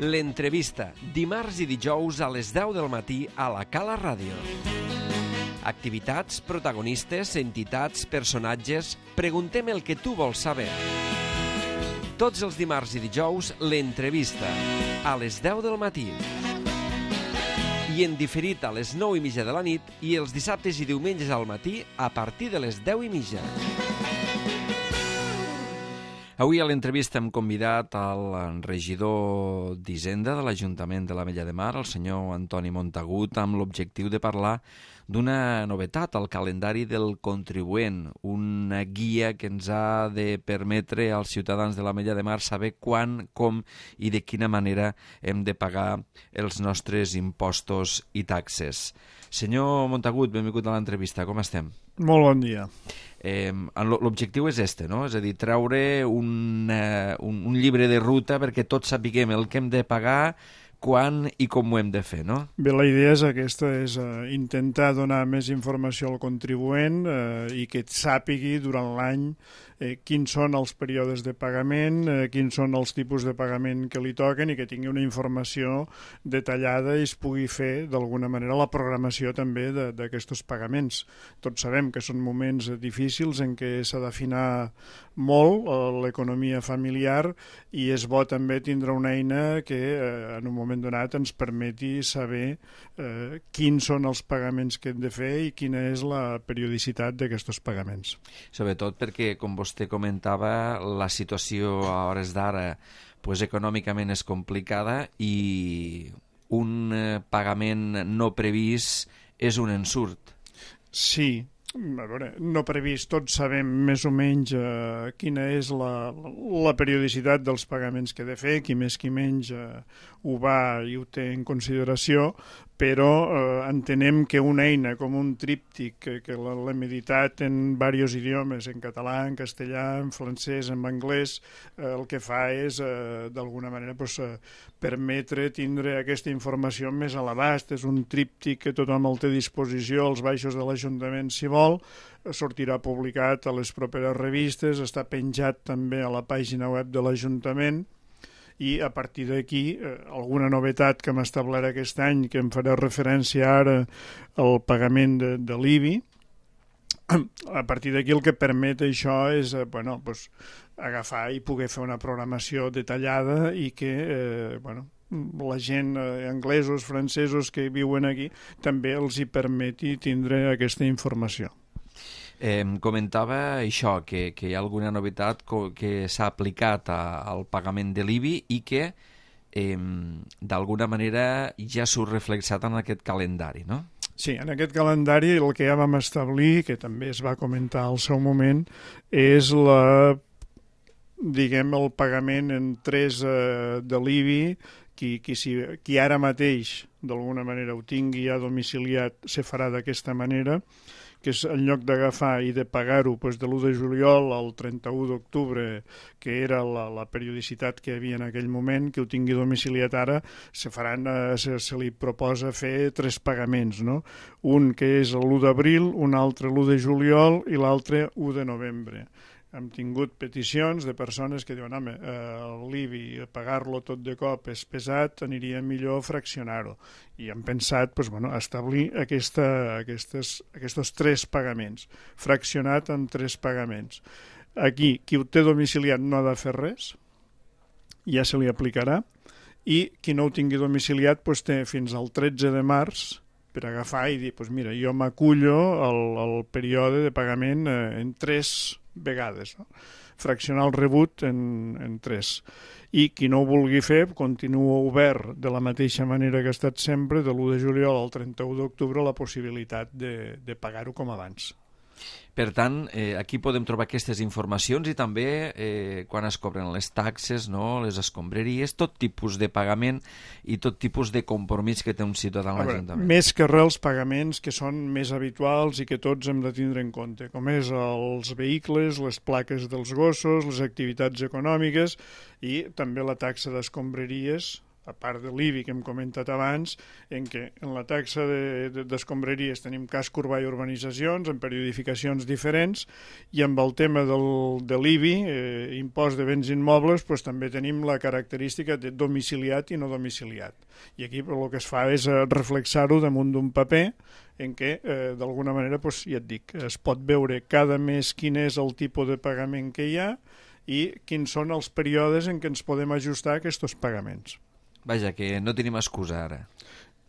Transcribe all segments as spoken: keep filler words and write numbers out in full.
L'entrevista, dimarts i dijous a les deu del matí a la Cala Ràdio. Activitats, protagonistes, entitats, personatges... Preguntem el que tu vols saber. Tots els dimarts i dijous, l'entrevista, a les deu del matí. I en diferit a les nou i mitja de la nit i els dissabtes i diumenges al matí a partir de les deu i mitja. Avui a l'entrevista hem convidat al regidor d'Hisenda de l'Ajuntament de l'Ametlla de Mar, el senyor Antoni Montagut, amb l'objectiu de parlar d'una novetat al calendari del contribuent, una guia que ens ha de permetre als ciutadans de l'Ametlla de Mar saber quan, com i de quina manera hem de pagar els nostres impostos i taxes. Senyor Montagut, benvingut a l'entrevista, com estem? Molt bon dia. Eh, l'objectiu és este, no? És a dir, treure un, uh, un, un llibre de ruta perquè tots sapiguem el que hem de pagar, quan i com ho hem de fer, no? Bé, la idea és aquesta, és uh, intentar donar més informació al contribuent uh, i que sàpigui durant l'any eh, quins són els períodes de pagament, eh, quins són els tipus de pagament que li toquen i que tingui una informació detallada i es pugui fer d'alguna manera la programació també d'aquests pagaments. Tots sabem que són moments difícils en què s'ha d'afinar molt l'economia familiar i és bo també tindre una eina que eh, en un moment donat ens permeti saber eh, quins són els pagaments que hem de fer i quina és la periodicitat d'aquests pagaments. Sobretot perquè, com vostè comentava, la situació a hores d'ara pues, econòmicament és complicada i un eh, pagament no previst és un ensurt. Sí. A veure, no previst, tots sabem més o menys eh, quina és la, la periodicitat dels pagaments que he de fer, qui més qui menys eh, ho va i ho té en consideració, però eh, entenem que una eina com un tríptic que, que l'hem editat en diversos idiomes, en català, en castellà, en francès, en anglès, eh, el que fa és, eh, d'alguna manera, pues, eh, permetre tindre aquesta informació més a l'abast. És un tríptic que tothom el té a disposició als baixos de l'Ajuntament, si vol, sortirà publicat a les properes revistes, està penjat també a la pàgina web de l'Ajuntament, i a partir d'aquí eh, alguna novetat que hem establert aquest any, que em faré referència ara al pagament de, de l'I B I, a partir d'aquí el que permet això és eh, bueno, pues, agafar i poder fer una programació detallada i que eh, bueno, la gent eh, anglesos, francesos que viuen aquí també els hi permeti tindre aquesta informació. Eh, comentava això, que, que hi ha alguna novetat que s'ha aplicat a, al pagament de l'I B I i que eh, d'alguna manera ja surt reflexat en aquest calendari, no? Sí, en aquest calendari el que ja vam establir, que també es va comentar al seu moment, és la, diguem, el pagament en tres eh, de l'I B I. Qui, qui, si, qui ara mateix d'alguna manera ho tingui ja domiciliat se farà d'aquesta manera, que és en lloc d'agafar i de pagar-ho doncs, de l'u de juliol al trenta-u d'octubre, que era la, la periodicitat que hi havia en aquell moment, que ho tingui domiciliat ara, se, faran, eh, se, se li proposa fer tres pagaments, no? Un que és l'u d'abril, un altre l'u de juliol i l'altre u de novembre. Hem tingut peticions de persones que diuen home, eh, l'I B I, pagar-lo tot de cop és pesat, aniria millor fraccionar-ho. I hem pensat pues, bueno, establir aquesta, aquestes, aquests tres pagaments, fraccionat en tres pagaments. Aquí, qui ho té domiciliat no ha de fer res, ja se li aplicarà, i qui no ho tingui domiciliat pues, té fins al tretze de març per agafar i dir, pues mira, jo m'acullo al, al període de pagament eh, en tres vegades, no? Fraccionar el rebut en, en tres. I qui no ho vulgui fer, continua obert de la mateixa manera que ha estat sempre, de l'u de juliol al trenta-u d'octubre, la possibilitat de, de pagar-ho com abans. Per tant, eh, aquí podem trobar aquestes informacions i també eh, quan es cobren les taxes, no? Les escombraries, tot tipus de pagament i tot tipus de compromís que té un ciutadà en l'Ajuntament. Més que res els pagaments que són més habituals i que tots hem de tindre en compte, com és els vehicles, les plaques dels gossos, les activitats econòmiques i també la taxa d'escombraries, a part de l'I B I que hem comentat abans, en què en la taxa d'escombraries de, de, tenim casc urbà i urbanitzacions, en periodificacions diferents, i amb el tema del, de l'I B I, eh, impost de béns immobles, pues, també tenim la característica de domiciliat i no domiciliat. I aquí el que es fa és reflexar-ho damunt d'un paper en què, eh, d'alguna manera, pues, ja et dic, es pot veure cada mes quin és el tipus de pagament que hi ha i quins són els períodes en què ens podem ajustar a aquests pagaments. Vaja, que no tenim excusa ara.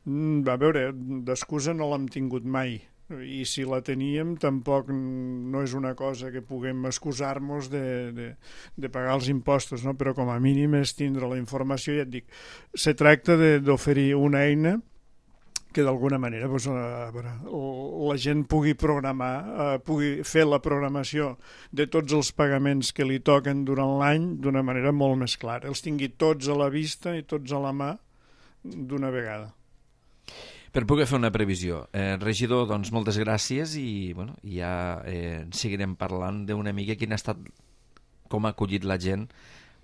Mm, a veure, d'excusa no l'hem tingut mai, i si la teníem tampoc no és una cosa que puguem excusar-nos de, de, de pagar els impostos, no? Però com a mínim és tindre la informació, ja et dic, se tracta d'oferir una eina que d'alguna manera doncs, a veure, la gent pugui programar, eh, pugui fer la programació de tots els pagaments que li toquen durant l'any d'una manera molt més clara. Els tingui tots a la vista i tots a la mà d'una vegada. Per poder fer una previsió. Eh, regidor, doncs moltes gràcies i bueno, ja eh, seguirem parlant d'una mica quin ha estat, com ha acollit la gent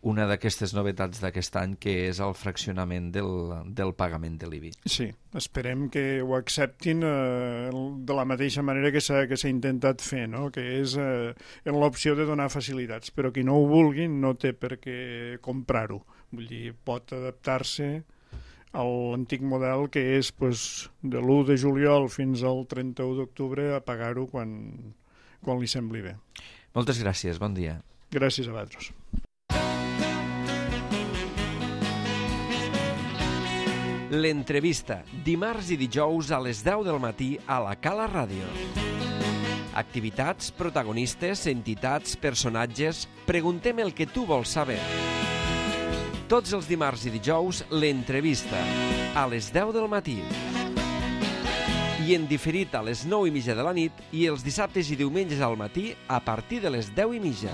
una d'aquestes novetats d'aquest any, que és el fraccionament del, del pagament de l'I B I. Sí, esperem que ho acceptin eh, de la mateixa manera que s'ha que s'ha intentat fer, no? Que és eh, en l'opció de donar facilitats, però qui no ho vulgui no té per què comprar-ho. Vull dir, pot adaptar-se a l'antic model que és pues, de l'u de juliol fins al trenta-u d'octubre a pagar-ho quan, quan li sembli bé. Moltes gràcies, bon dia. Gràcies a vosaltres. L'entrevista, dimarts i dijous a les deu del matí a la Cala Ràdio. Activitats, protagonistes, entitats, personatges... Preguntem el que tu vols saber. Tots els dimarts i dijous, l'entrevista, a les deu del matí. I en diferit a les nou i mitja de la nit i els dissabtes i diumenges al matí a partir de les deu i mitja.